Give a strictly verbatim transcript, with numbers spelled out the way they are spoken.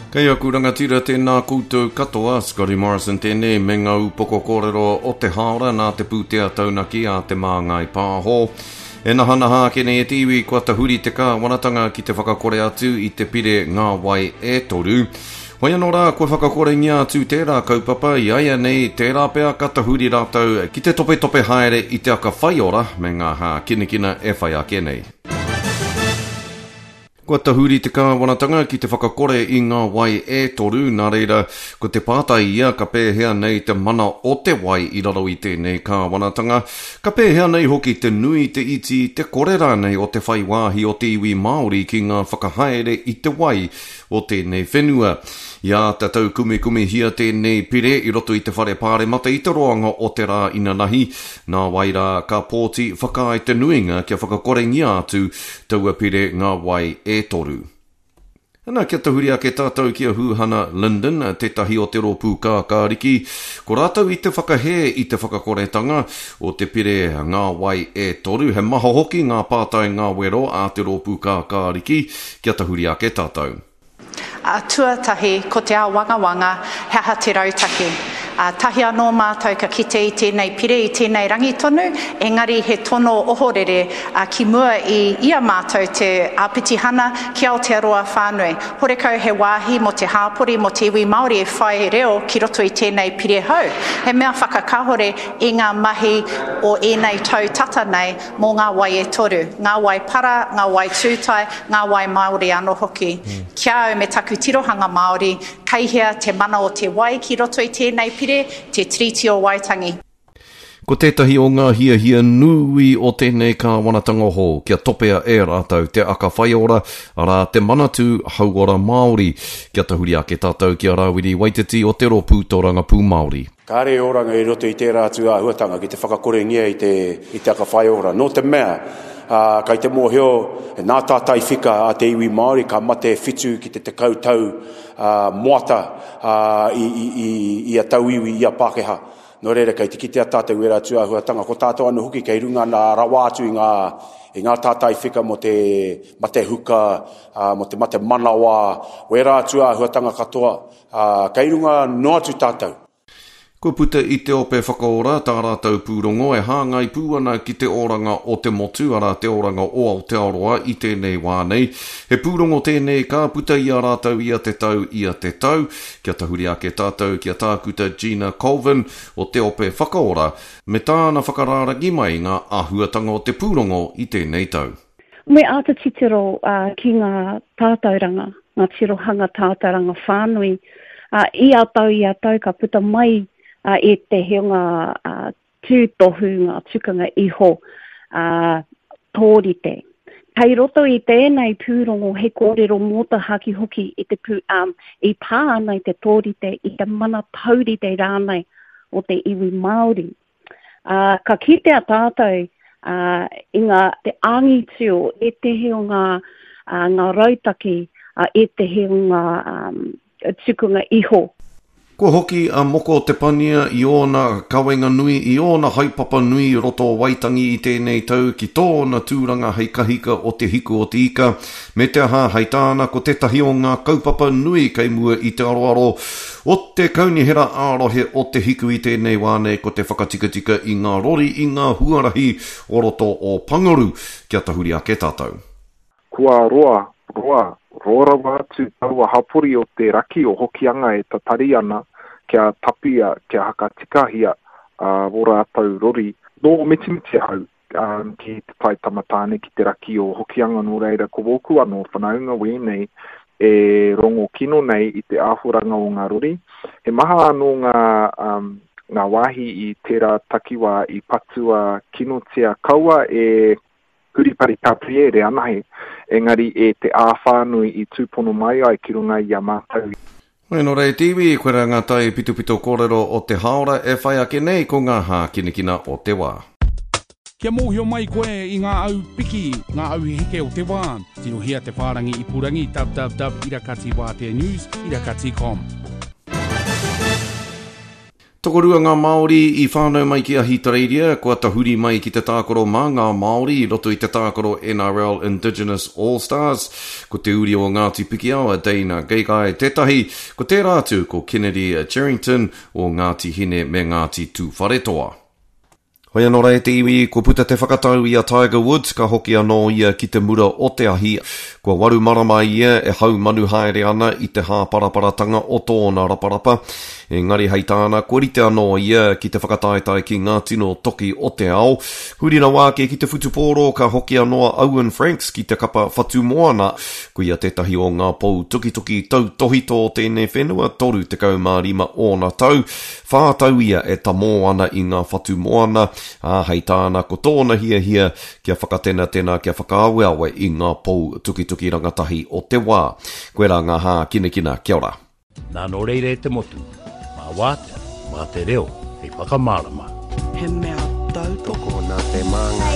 Kei aku rangatira tēnā koutou katoa, Scotty Morrison tēnei me ngā upoko kōrero o te hāora nā te pūtea taunaki a Te Māngai Pāho. E nahanaha ake nei e te iwi kua tahuri te kāwanatanga ki te whakakore atu i te pire Ngā Wai e Toru. Hoi anō rā, kua whakakorengia atu tērā kaupapa i aia nei, tērā pea ka tahuri rātou ki te topetope haere i te aka whaiora me ngā hākinakina e whai ake nei. Kua tahuri te kāwanatanga ki te whakakore i ngā wai e toru, nā reira, ko te pātai ia ka pēhea nei te mana o te wai i raro i tēnei kāwanatanga, ka pēhea nei hoki te nui, te iti, te kore rānei o te whai wāhi o te iwi Māori ki ngā whakahaere i te wai o tēnei whenua. I āta taukumikumihia tēnei pire i roto i te whare pāremata i te roanga o te rā inanahi, nā wai rā ka pōti whakaae te nuinga kia whakakorengia atu taua pire Ngā Wai e Toru. Ana, kia tahuri ake tātou ki a Huhana Lyndon, tētahi o te rōpū kākāriki. Ko rātou i te whakahē i te whakakoretanga o te pire Ngā Wai e Toru. He maha hoki ngā pātai ngā wero a te rōpū kākāriki. Kia tahuri ake tātou. A, tuatahi, ko te āwangawanga, he aha te rautaki? A, tahi anō mātou ka kite i tēnei pire, i tēnei rangi tonu, engari he tono ohorere a, ki mua i, i a mātou te āpitihana ki Aotearoa whānui. Horekau he wāhi mō te hāpori, mō te iwi Māori e whai reo ki roto i tēnei pire hou. He mea whakakahore i ngā mahi o ēnei tau tata nei mō ngā wai e toru, ngā wai para, ngā wai tūtai, ngā wai Māori anō hoki. Ki a au me taku tirohanga Māori, kei hea te mana o te wai ki roto i tēnei pire, te Tiriti o Waitangi. Ko tētahi o ngā hiahia nui o tēnei kāwanatanga hou kia topea e rātou te aka whaiora, arā te Manatū Hauora Māori. Kia tahuri ake tātou ki a Rāwiri Waititi o te Rōpū Tōrangapū Māori. Kāre e oranga i roto i tērā atu āhuatanga ki te whakakorengia i te, i te aka whaiora. Nō te mea, ā, kai te mōhio, nā tātai whika a te iwi Māori ka mate whitu ki te tekau tau ā, moata ā, i, i, i, i a tauiwi, i a Pākehā. Nō reira, kei te kitea tātou ērā atu āhuatanga. Ko tātou anō hoki kei runga nā rawa atu i ngā, i ngā tātai whika mō te mate huka, ā, mō te mate manawa, wērā atu āhuatanga katoa, ā, kei runga noa atu tātou. Kua puta i te Ope Whakaora tā rātou pūrongo e hāngai pū ana ki te oranga o te motu, arā te oranga o Aotearoa i tēnei wā nei. He pūrongo tēnei ka puta i a rātou ia te tau, ia te tau. Kia tahuri ake tātou ki a Tākuta Gina Colvin o te Ope Whakaora me tāna whakarārangi mai ngā āhuatanga o te pūrongo i tēnei tau. Me āta titiro uh, ki ngā tātauranga, ngā tirohanga tātauranga whānui. Uh, ia tau, ia tau ka puta mai uh, ētehi o ngā uh, tūtohu, ngā tukanga iho uh, tōrite. Kei roto i tēnei pūrongo he kōrero mōtahaki hoki i te pū, um, i pā ana i te tōrite, i te mana taurite rānei o te iwi Māori. Uh, ka kitea tātou uh, i ngā te angitu o ētehi o ngā, uh, ngā rautaki, uh, ētehi o ngā um, tukunga iho. Kua hoki a Moko Te Pania i ōna kawenga nui, i ōna haepapa nui i roto o Waitangi i tēnei tau ki tōna tūranga hei kahika o te Hiku o te Ika, me te aha hei tāna ko tētahi o ngā kaupapa nui kei mua i te aroaro o te kaunihera ā-rohe o te Hiku i tēnei wā nei ko te whakatikatika i ngā rori i ngā huarahi o roto o Pangaru. Kia tahuri ake tātou. Kua roa, roa, roa rawa atu taua hapori o te raki o Hokianga e tatari ana kia tapia, kia hakatikahia uh, o rātou rori. Nō mitimiti ahau um, ki te tai tamatāne ki te raki o Hokianga nō reira ko wōku anō whanaunga wēnei e rongo kino nei i te āhoranga o ngā rori. He maha anō ngā, um, ngā wāhi i tērā takiwā i patua kinotia kaua e Huripari Gabriere anahe, engari e te āwhānui i tūpono mai ai ki runga i a mātou. Hoi nō rei te iwi, koirā ngā tai pitopito kōrero o te hāora e whai ake nei ko ngā hākinakina o te wā. Kia mōhio mai koe i ngā au piki, ngā au heke o te wā, tirohia te whārangi ipurangi www irakati wātea news irakati com. Tokorua ngā Māori i whānau mai ki Ahitereiria, kua tahuri mai ki te tākaro mā ngā Māori i roto i te tākaro N R L Indigenous All Stars. Ko te uri o Ngāti Pikiao a Dane Gagai tētahi, ko tērā atu ko Kennedy Cherrington o Ngāti Hine me Ngāti Tūwharetoa. Hoi anō rā e te iwi, kua puta te whakatau i a Tiger Woods, ka hoki anō ia ki te mura o te ahi. Kua waru marama ia e haumanu haere ana i te hāparaparatanga o tōna raparapa. Engari hei tāna, kua rite anō ia ki te whakataetae ki ngā tino toki o te ao. Huri rawa ake ki te whutupōro, ka hoki anō a Owen Franks ki te kapa Whatumoana. Ko ia tētahi o ngā pou tukituki tautohito o tēnei whenua, toru tekau mā rima ōna tau. Whā tau ia e tamō ana i ngā Whatumoana, ā, hei tāna ko tōna hiahia kia whakatenatena, kia whakaaweawe i ngā pou tukituki rangatahi o te wā. Koirā ngā hākinakina, kia ora. Nā nō reira e te motu, mā wātea, mā te reo, hei whakamārama. He mea tautoko Nā te māngai.